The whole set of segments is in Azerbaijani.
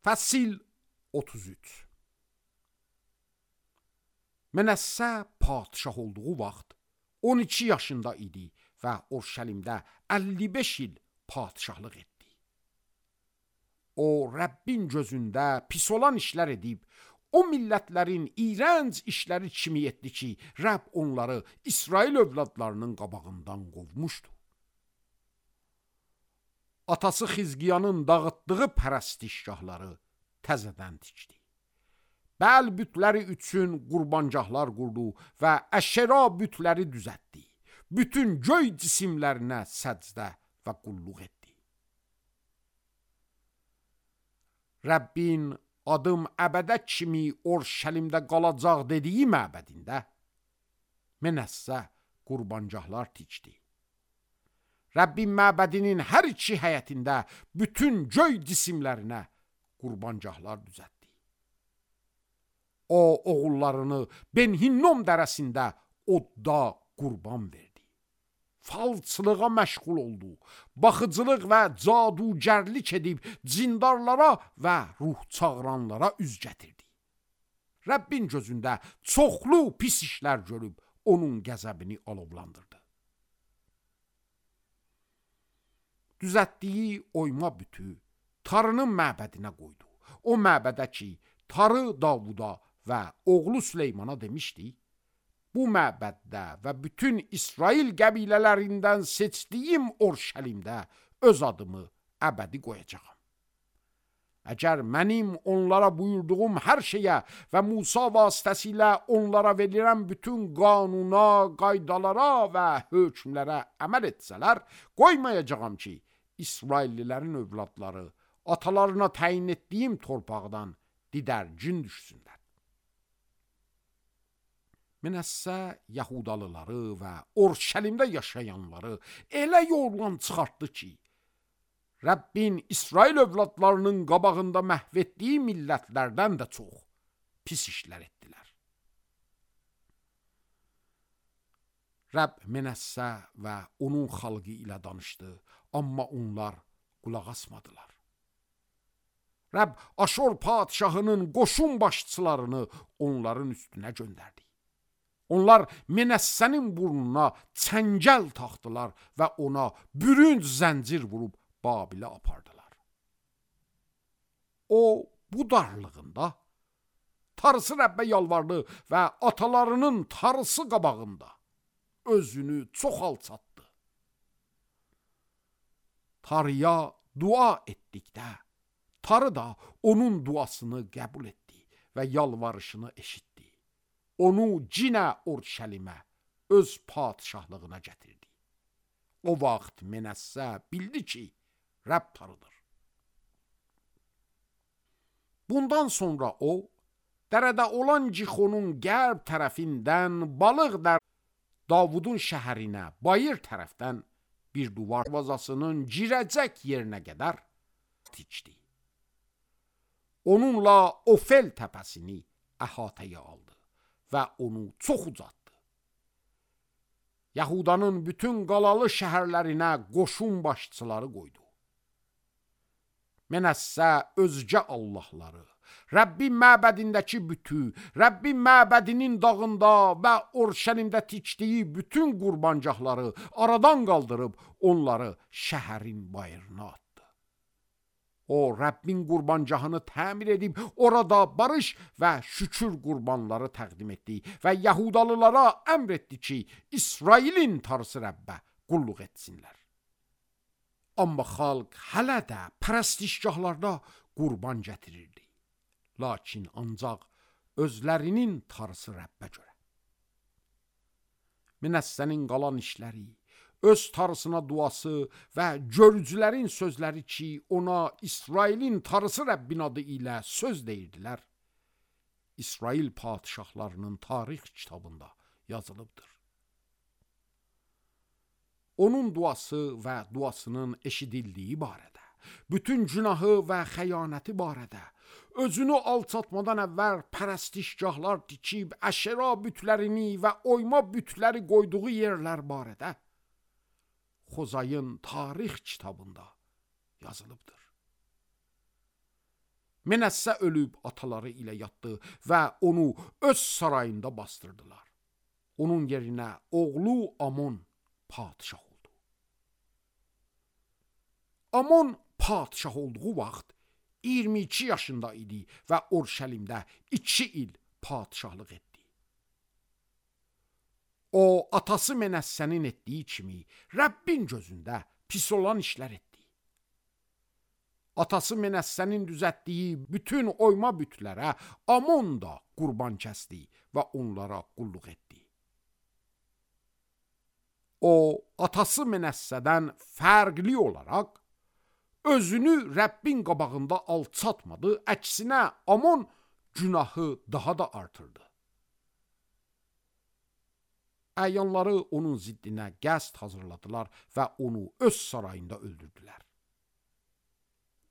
Fəsil 33. Mənəssə padişah olduğu vaxt 12 yaşında idi və Urşəlimdə 55 il padişahlıq etdi. O, Rəbbin gözündə pis olan işlər edib, o millətlərin iyrənc işləri kimi etdi ki, Rəbb onları İsrail övladlarının qabağından qovmuşdu. Atası Xizqiyanın dağıtdığı pərəstişgahları təzədən tikdi. Bəl bütləri üçün qurbancaqlar qurdu və Əşera bütləri düzəltdi. Bütün göy cisimlərinə səcdə və qulluq etdi. Rəbbin adım əbədə kimi Urşəlimdə qalacaq dediyi məbədində Mənəssə qurbancaqlar tikdi. Rəbbin məbədinin hər iki həyətində bütün göy cisimlərinə qurbancaqlar düzəltdi. O, oğullarını Ben-Hinnom dərəsində odda qurban verdi. Falçılığa məşğul oldu. Baxıcılıq və cadugərlik edib cindarlara və ruh çağıranlara üz gətirdi. Rəbbin gözündə çoxlu pis işlər görüb onun qəzəbini alovlandırdı. Düzəltdiyi oyma bütü Tarının məbədinə qoydu. O məbədə ki, Tarı Davuda və oğlu Süleymana demişdi, bu məbəddə və bütün İsrail qəbilələrindən seçdiyim Urşəlimdə öz adımı əbədi qoyacağam. Əgər mənim onlara buyurduğum hər şeyə və Musa vasitəsilə onlara verilən bütün qanuna, qaydalara və hökmlərə əməl etsələr, qoymayacağam ki, İsraillilərin övladları atalarına təyin etdiyim torpaqdan didərgin düşsünlər. Mənəssə Yahudalıları və Urşəlimdə yaşayanları elə yoldan çıxartdı ki, Rəbbin İsrail övladlarının qabağında məhv etdiyi millətlərdən də çox pis işlər etdilər. Rəbb Mənəssə və onun xalqı ilə danışdı, amma onlar qulaq asmadılar. Rəbb Aşor padişahının qoşun başçılarını onların üstünə göndərdi. Onlar Mənəssənin burnuna çəngəl taxdılar və ona bürünc zəncir vurub Babilə apardılar. O, bu darlığında Tarısı Rəbbə yalvardı və atalarının Tarısı qabağında özünü çox alçatdı. Tarıya dua etdikdə, Tarı da onun duasını qəbul etdi və yalvarışını eşitdi. Onu cinə Urşəlimə, öz padişahlığına gətirdi. O vaxt Mənəssə bildi ki, Rəbb Tarıdır. Bundan sonra o, dərədə olan Cixonun qərb tərəfindən balıq Davudun şəhərinə bayır tərəfdən bir duvar vazasının girəcək yerinə qədər tikdi. Onunla Ofel təpəsini əhatəyə aldı və onu çox ucatdı. Yahudanın bütün qalalı şəhərlərinə qoşun başçıları qoydu. Mənəssə özgə allahları, Rəbbin məbədindəki bütü, Rəbbin məbədinin dağında və Urşəlimdə tikdiyi bütün qurbancaqları aradan qaldırıb onları şəhərin bayırına atdı. O, Rəbbin qurbancağını təmir edib orada barış və şükür qurbanları təqdim etdi və Yahudalılara əmr etdi ki, İsrailin Tarısı Rəbbə qulluq etsinlər. Amma xalq hələ də pərəstişgahlarda qurban gətirirdi. Lakin ancaq özlərinin Tarısı Rəbbə görə. Mənəssənin qalan işləri, öz Tarısına duası və görücülərin sözləri ki, ona İsrailin Tarısı Rəbbin adı ilə söz deyirdilər, İsrail padişahlarının tarix kitabında yazılıbdır. Onun duası və duasının eşidildiyi barədə, bütün günahı və xəyanəti barədə, özünü alçatmadan əvvəl pərəstişgahlar tikib Əşera bütlərini və oyma bütləri qoyduğu yerlər barədə Xozayın tarix kitabında yazılıbdır. Menəssə ölüb ataları ilə yatdı və onu öz sarayında bastırdılar. Onun yerinə oğlu Amon padişah oldu. Amon padişah olduğu vaxt 22 yaşında idi və Urşəlimdə 2 il padişahlıq etdi. O, atası Menəssənin etdiyi kimi Rəbbin gözündə pis olan işlər etdi. Atası Menəssənin düzəltdiyi bütün oyma bütlərə Amon da qurban kəsdi və onlara qulluq etdi. O, atası Menəssədən fərqli olaraq özünü Rəbbin qabağında alçatmadı, əksinə Amon günahı daha da artırdı. Əyanları onun ziddinə qəsd hazırladılar və onu öz sarayında öldürdülər.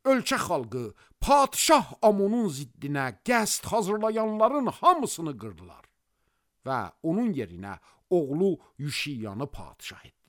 Ölkə xalqı padişah Amonun ziddinə qəsd hazırlayanların hamısını qırdılar və onun yerinə oğlu Yüşiyanı padişah etdilər.